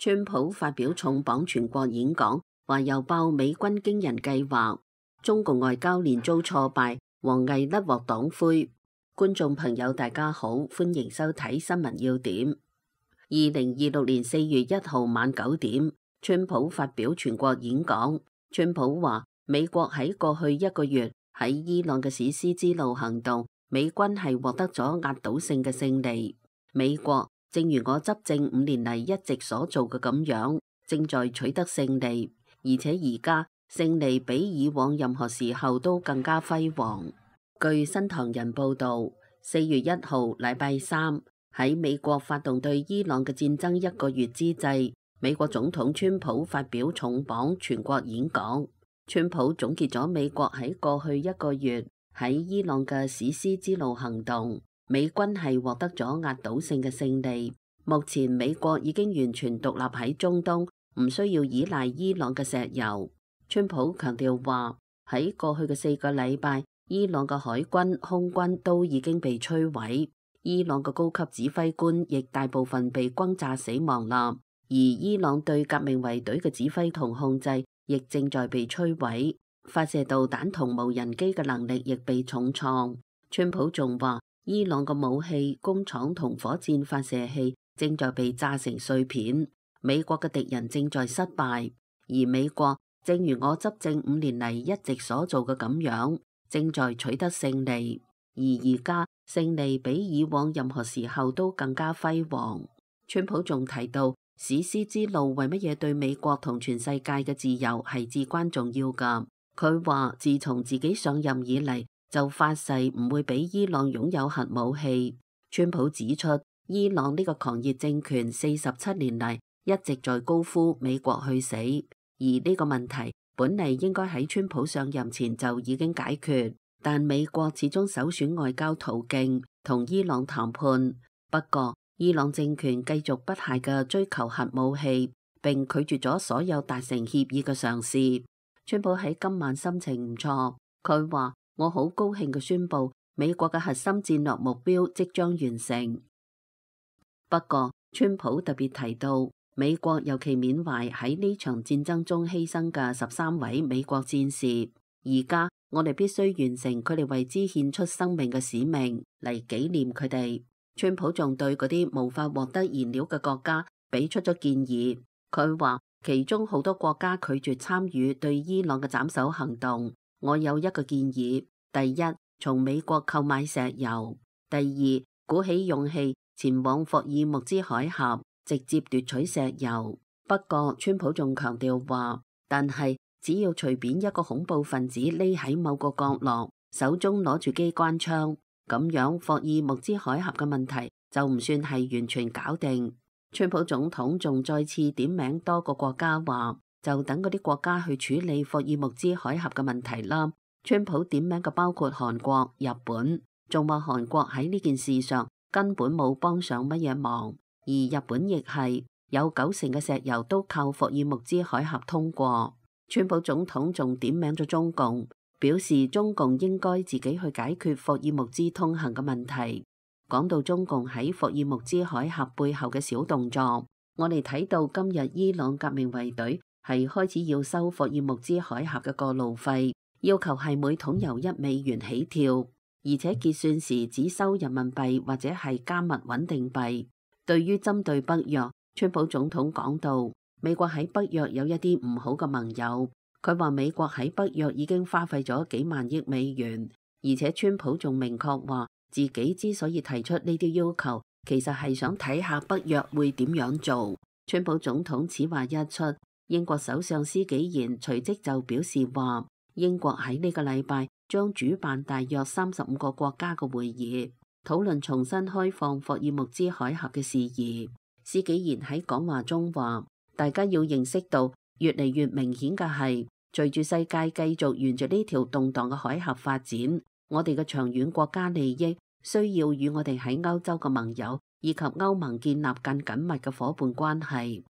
川普發表重磅全國演講，話又爆美軍驚人計劃。中共外交連遭挫敗，王毅甩鑊黨魁。觀眾朋友大家好，歡迎收睇新聞要點。2026年4月1號晚9點，川普發表全國演講。川普話，美國喺過去1個月喺伊朗嘅史詩之路行動，美軍係獲得咗壓倒性嘅勝利。美國正如我執政5年嚟一直所做嘅咁樣，正在取得勝利，而且而家勝利比以往任何時候都更加輝煌。據新唐人報道，4月1號禮拜三，喺美國發動對伊朗嘅戰爭1個月之際，美國總統川普發表重磅全國演講。川普總結咗美國喺過去1個月喺伊朗嘅史詩之路行動，美軍係獲得咗壓倒性嘅勝利。目前美國已經完全獨立喺中東，唔需要依賴伊朗嘅石油。川普強調話，喺過去嘅4個禮拜，伊朗嘅海軍、空軍都已經被摧毀，伊朗嘅高級指揮官亦大部分被轟炸死亡啦。而伊朗對革命衛隊嘅指揮同控制亦正在被摧毀，發射導彈同無人機嘅能力亦被重創。川普仲話，伊朗嘅武器、工廠同火箭發射器正在被炸成碎片，美國嘅敵人正在失敗，而美國正如我執政5年嚟一直所做嘅咁樣，正在取得勝利，而家勝利比以往任何時候都更加輝煌。川普仲提到，史詩之路為乜嘢對美國同全世界嘅自由係至關重要㗎。佢話自從自己上任以嚟，就發誓唔會俾伊朗擁有核武器。川普指出，伊朗呢個狂熱政權47年嚟一直在高呼美國去死，而呢個問題本嚟應該喺川普上任前就已經解決，但美國始終首選外交途徑同伊朗談判。不過伊朗政權繼續不懈嘅追求核武器，並拒絕咗所有達成協議嘅嘗試。川普喺今晚心情唔錯，佢話，我好高興嘅宣布，美國嘅核心戰略目標即將完成。不過川普特別提到，美國尤其緬懷喺呢場戰爭中犧牲嘅13位美國戰士，而家我哋必須完成佢哋為之獻出生命嘅使命嚟紀念佢哋。川普仲對嗰啲無法獲得燃料嘅國家俾出咗建議，佢話其中好多國家拒絕參與對伊朗嘅斬首行動。我有一個建議：第一，從美國購買石油；第二，鼓起勇氣前往霍爾木茲海峽，直接奪取石油。不過川普仲強調話，但係只要隨便一個恐怖分子匿喺某個角落，手中攞住機關槍，咁樣霍爾木茲海峽嘅問題就唔算係完全搞定。川普總統仲再次點名多個國家，話就等嗰啲國家去處理霍爾木茲海峽嘅問題啦。川普點名嘅包括韓國、日本，仲話韓國喺呢件事上根本冇幫上乜嘢忙，而日本亦係有90%嘅石油都靠霍爾木茲海峽通過。川普總統仲點名咗中共，表示中共應該自己去解決霍爾木茲通行嘅問題。講到中共喺霍爾木茲海峽背後嘅小動作，我哋睇到今日伊朗革命衛隊係開始要收霍爾木茲海峽嘅過路費，要求係每桶油$1起跳，而且結算時只收人民幣或者係加密穩定幣。對於針對北約，川普總統講到，美國喺北約有一啲唔好嘅盟友。佢話美國喺北約已經花費咗幾萬億美元，而且川普仲明確話自己之所以提出呢啲要求，其實係想睇下北約會點樣做。川普總統此話一出，英國首相施紀賢隨即就表示話，英國喺呢個禮拜將主辦大約35個國家嘅會議，討論重新開放霍爾木茲海峽嘅事宜。施紀賢喺講話中話，大家要認識到，越嚟越明顯嘅係，隨住世界繼續沿住呢條動盪嘅海峽發展，我哋嘅長遠國家利益需要與我哋喺歐洲嘅盟友以及歐盟建立更緊密嘅夥伴關係。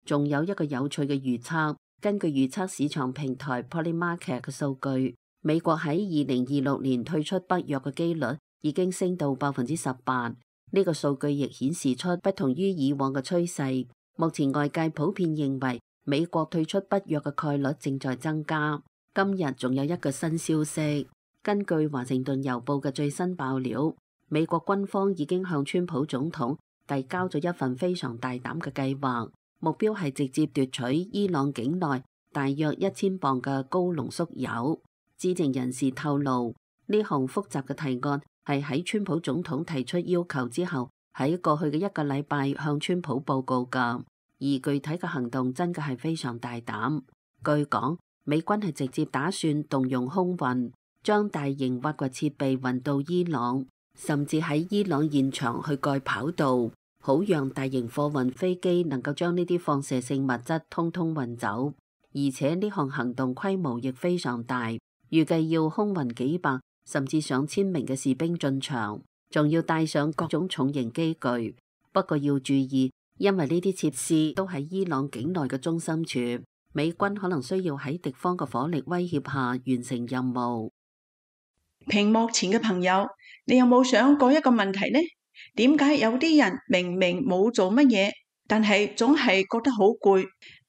仲有一個有趣嘅預測，根據預測市場平台 Polymarket 嘅數據，美國喺2026年退出北約嘅機率已經升到18%。呢個數據亦顯示出不同於以往嘅趨勢。目前外界普遍認為美國退出北約嘅概率正在增加。今日仲有一個新消息，根據華盛頓郵報嘅最新爆料，美國軍方已經向川普總統遞交咗一份非常大膽嘅計劃，目標係直接奪取伊朗境內大約1000磅嘅高濃縮鈾。知情人士透露，呢項複雜嘅提案係喺川普總統提出要求之後，喺過去嘅一個禮拜向川普報告㗎。而具體嘅行動真嘅係非常大膽。據講，美軍係直接打算動用空運，將大型挖掘設備運到伊朗，甚至喺伊朗現場去蓋跑道，好讓大型貨運飛機能夠將呢啲放射性物質通通運走。而且呢項行動規模亦非常大，預計要空運幾百甚至上千名嘅士兵進場，仲要帶上各種重型機具。不過要注意，因為呢啲設施都喺伊朗境內嘅中心處，美軍可能需要喺敵方嘅火力威脅下完成任務。屏幕前嘅朋友，你有冇想過一個問題呢？點解有啲人明明冇做乜嘢，但係總係覺得好攰？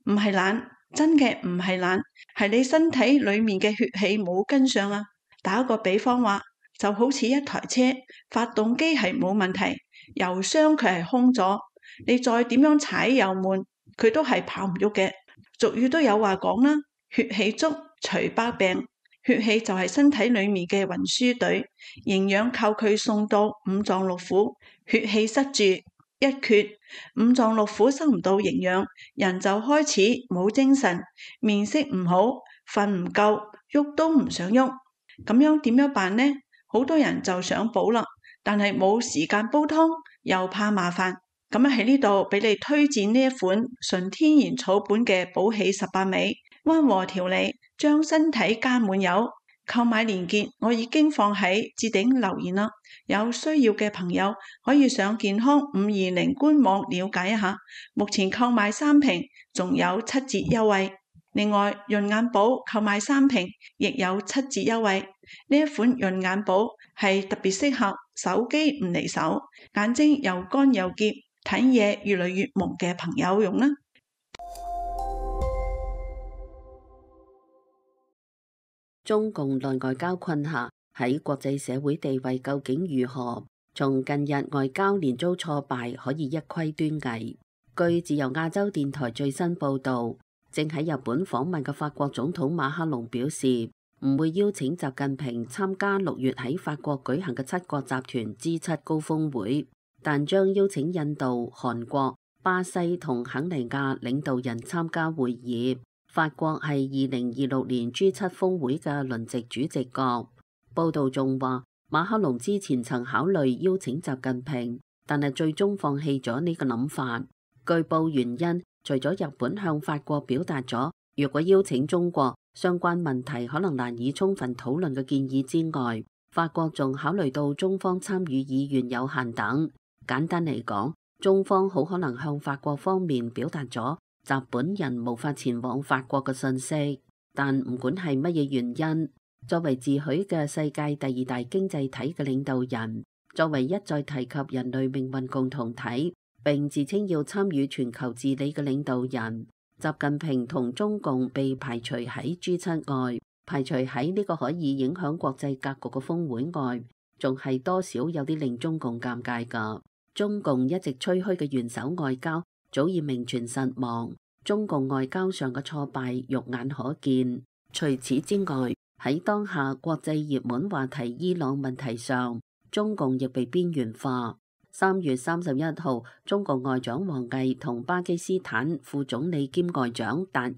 唔係懶，真嘅唔係懶，係你身體裏面嘅血氣冇跟上啊！打個比方話，就好似一台車，發動機係冇問題，油箱佢係空咗，你再點樣踩油門，佢都係跑唔喐嘅。俗語都有話講啦，血氣足除百病。血氣就係身體裏面嘅運輸隊，營養靠佢送到五臟六腑。血氣塞住一缺，五臟六腑收唔到營養，人就開始冇精神，面色唔好，瞓唔夠，喐都唔想喐。咁樣點樣辦呢？好多人就想補啦，但係冇時間煲湯，又怕麻煩。咁喺呢度俾你推薦呢一款純天然草本嘅補氣18味，溫和調理，將身體加滿油。購買鏈接我已經放喺置頂留言啦，有需要嘅朋友可以上健康520官網了解一下。目前購買3瓶仲有7折優惠，另外潤眼寶購買3瓶亦有7折優惠。呢一款潤眼寶係特別適合手機唔離手，眼睛又乾又澀，睇嘢越嚟越朦嘅朋友用啦。中共內外交困下，喺國際社會地位究竟如何？從近日外交連遭挫敗，可以一窺端倪。據自由亞洲電台最新報導，正喺日本訪問嘅法國總統馬克龍表示，唔會邀請習近平參加6月喺法國舉行嘅7國集團 G7 高峰會，但將邀請印度、韓國、巴西同肯尼亞領導人參加會議。法國係2026年 G7 峰會嘅輪值主席國。報道仲話，馬克龍之前曾考慮邀請習近平，但係最終放棄咗呢個諗法。據報原因，除咗日本向法國表達咗若果邀請中國，相關問題可能難以充分討論嘅建議之外，法國仲考慮到中方參與意願有限等。簡單嚟講，中方好可能向法國方面表達咗習本人無法前往法國嘅信息。但唔管係乜嘢原因，作為自詡嘅世界第2大經濟體嘅領導人，作為一再提及人類命運共同體並自稱要參與全球治理嘅領導人，習近平同中共被排除喺 G7 外，排除喺呢個可以影響國際格局嘅峰會外，仲係多少有啲令中共尷尬㗎。中共一直吹噓嘅元首外交早已名存實亡，中共外交上嘅挫敗肉眼可見。除此之外，喺當下國際熱門話題伊朗問題上，中共亦被邊緣化。3月31號，中國外長王毅同巴基斯坦副總理兼外長達爾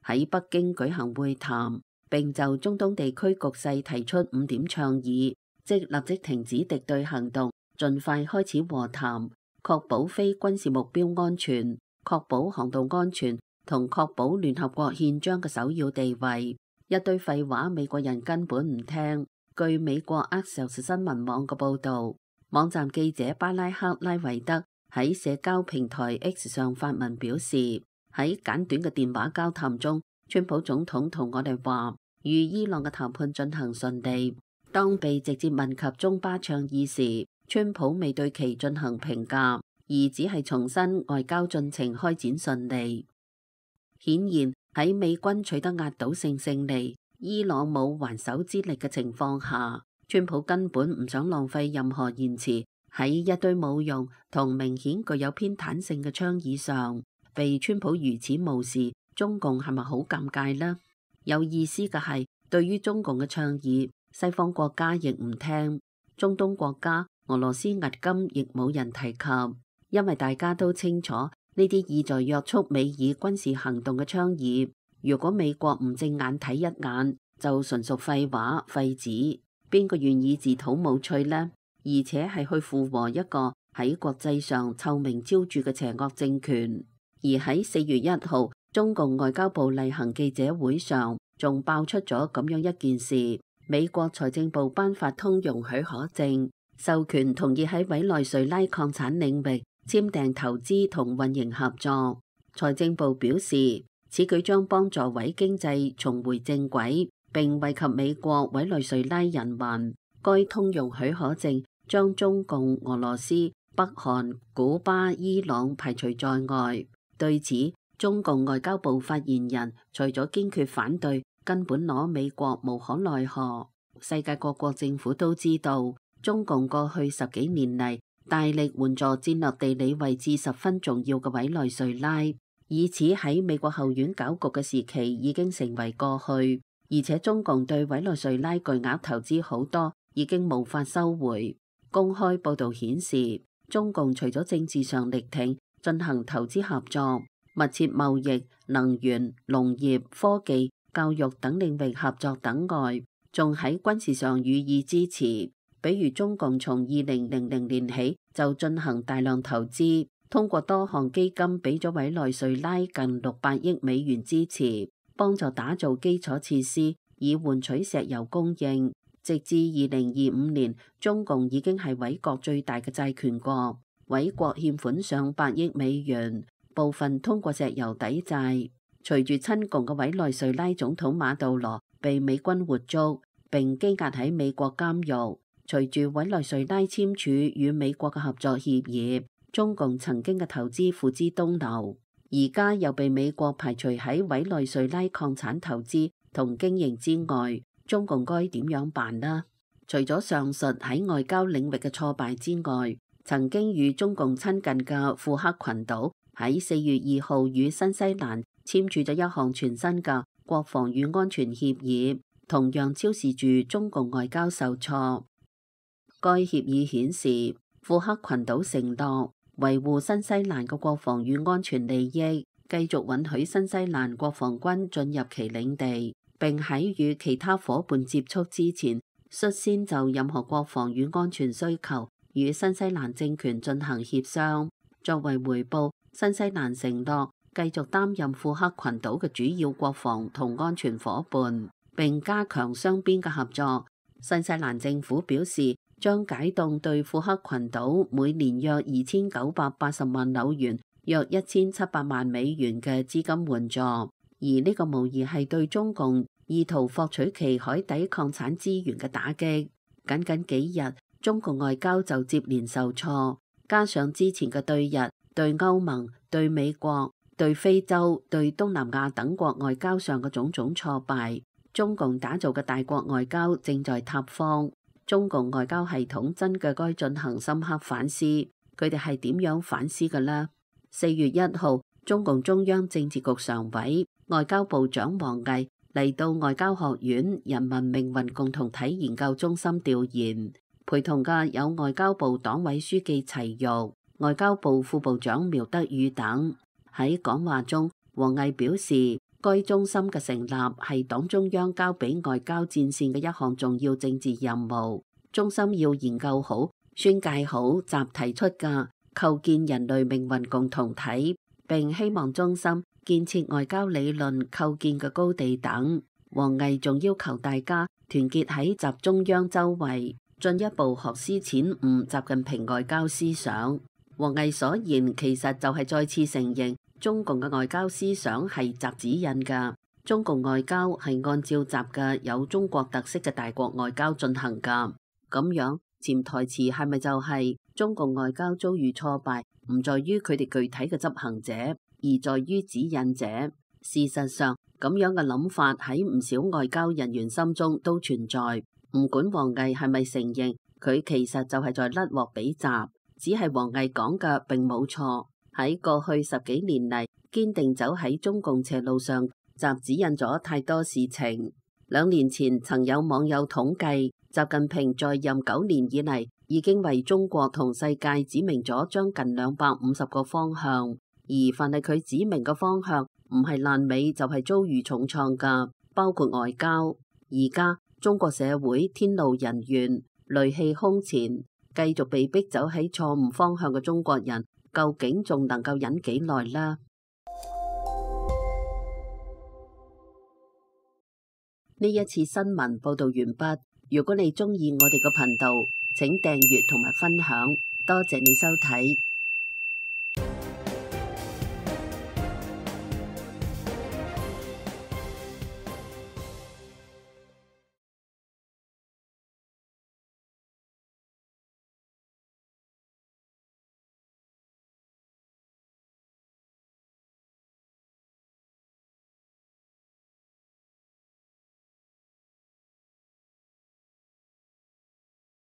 喺北京舉行會談，並就中東地區局勢提出5點倡議，即立即停止敵對行動，盡快開始和談，確保非軍事目標安全，確保航道安全，同確保聯合國憲章嘅首要地位。一堆廢話，美國人根本唔聽。據美國 Axios 新聞網嘅報導，網站記者巴拉克拉維德喺社交平台 X 上發文表示，喺簡短嘅電話交談中，川普總統同我哋話，與伊朗嘅談判進行順利。當被直接問及中巴倡議時，川普未對其進行評價，而而只係重申外交進程開展順利。顯然喺美軍取得壓倒性勝利，伊朗冇還手之力嘅情況下，川普根本唔想浪費任何言辭喺一堆冇用同明顯具有偏袒性嘅倡議上。被川普如此無視，中共係咪好尷尬呢？有意思嘅係，對於中共嘅倡議，西方國家亦唔聽，中東國家俄羅斯押金亦冇人提及，因為大家都清楚呢啲意在約束美以軍事行動嘅倡議，如果美國唔正眼睇一眼，就純屬廢話廢紙。邊個願意自討冇趣呢？而且係去附和一個喺國際上臭名昭著嘅邪惡政權。而喺4月1號，中共外交部例行記者會上，仲爆出咗咁樣一件事：美國財政部頒發通用許可證，授權同意喺委內瑞拉礦產領域簽訂投資同運營合作。財政部表示，此舉將幫助委經濟重回正軌，並惠及美國委內瑞拉人民。該通用許可證將中共、俄羅斯、北韓、古巴、伊朗排除在外。對此，中共外交部發言人除咗堅決反對，根本攞美國無可奈何。世界各國政府都知道，中共過去10幾年嚟大力援助戰略地理位置十分重要嘅委內瑞拉，以此喺美國後院搞局嘅時期已經成為過去。而且中共對委內瑞拉巨額投資好多已經無法收回。公開報導顯示，中共除咗政治上力挺進行投資合作、密切貿易、能源、農業、科技、教育等領域合作等外，仲喺軍事上予以支持。比如中共從2000年起就進行大量投資，通過多項基金俾咗委內瑞拉近600億美元支持，幫助打造基礎設施，以換取石油供應。直至2025年，中共已經係委國最大嘅債權國。委國欠款上百億美元，部分通過石油抵債。隨住親共嘅委內瑞拉總統馬杜羅被美軍活捉並羈押喺美國監獄，隨住委內瑞拉簽署與美國嘅合作協議，中共曾經嘅投資付之東流，而家又被美國排除喺委內瑞拉礦產投資同經營之外，中共該點樣辦呢？除咗上述喺外交領域嘅挫敗之外，曾經與中共親近嘅庫克群島喺4月2號與新西蘭簽署咗一項全新嘅國防與安全協議，同樣昭示住中共外交受挫。該協議顯示，庫克群島承諾維護新西蘭嘅國防與安全利益，繼續允許新西蘭國防軍進入其領地，並喺與其他夥伴接觸之前，率先就任何國防與安全需求與新西蘭政權進行協商。作為回報，新西蘭承諾繼續擔任庫克群島嘅主要國防同安全夥伴，並加強雙邊嘅合作。新西蘭政府表示，將解凍對庫克群島每年約2980萬紐元，約1700萬美元嘅資金援助。而呢個無疑係對中共意圖獲取其海底礦產資源嘅打擊。僅幾日，中共外交就接連受挫，加上之前嘅對日、對歐盟、對美國、對非洲、對東南亞等國外交上嘅種種挫敗，中共打造嘅大國外交正在塌方。中共外交系統真嘅該進行深刻反思，佢哋係點樣反思嘅呢？4月1號，中共中央政治局常委、外交部長王毅嚟到外交學院人民命運共同體研究中心調研，陪同嘅有外交部黨委書記齊玉、外交部副部長苗德宇等。喺講話中，王毅表示，該中心嘅成立係黨中央交俾外交戰線嘅一項重要政治任務。中心要研究好、宣介好集提出嘅構建人類命運共同體，並希望中心建設外交理論構建嘅高地等。王毅仲要求大家團結喺習中央周圍，進一步學思淺悟習近平外交思想。王毅所言其實就係再次承認中共嘅外交思想係習指引㗎，中共外交係按照習嘅有中國特色嘅大國外交進行㗎。咁樣潛台詞係咪就係中共外交遭遇挫敗，唔在於佢哋具體嘅執行者，而在於指引者。事實上，咁樣嘅諗法喺唔少外交人員心中都存在。唔管王毅係咪承認，佢其實就係在甩鑊俾習，只係王毅講嘅並冇錯。喺過去10幾年嚟，堅定走喺中共斜路上，習指引咗太多事情。2年前曾有網友統計，習近平在任9年以嚟，已經為中國同世界指明咗將近250個方向，而凡係佢指明嘅方向，唔係爛尾就係遭遇重創噶，包括外交。而家中國社會天怒人怨，戾氣空前，繼續被逼走喺錯誤方向嘅中國人，究竟仲能夠忍幾耐呢？呢一次新聞報道完畢。如果你鍾意我哋個頻道，請訂閱同埋分享，多謝你收睇。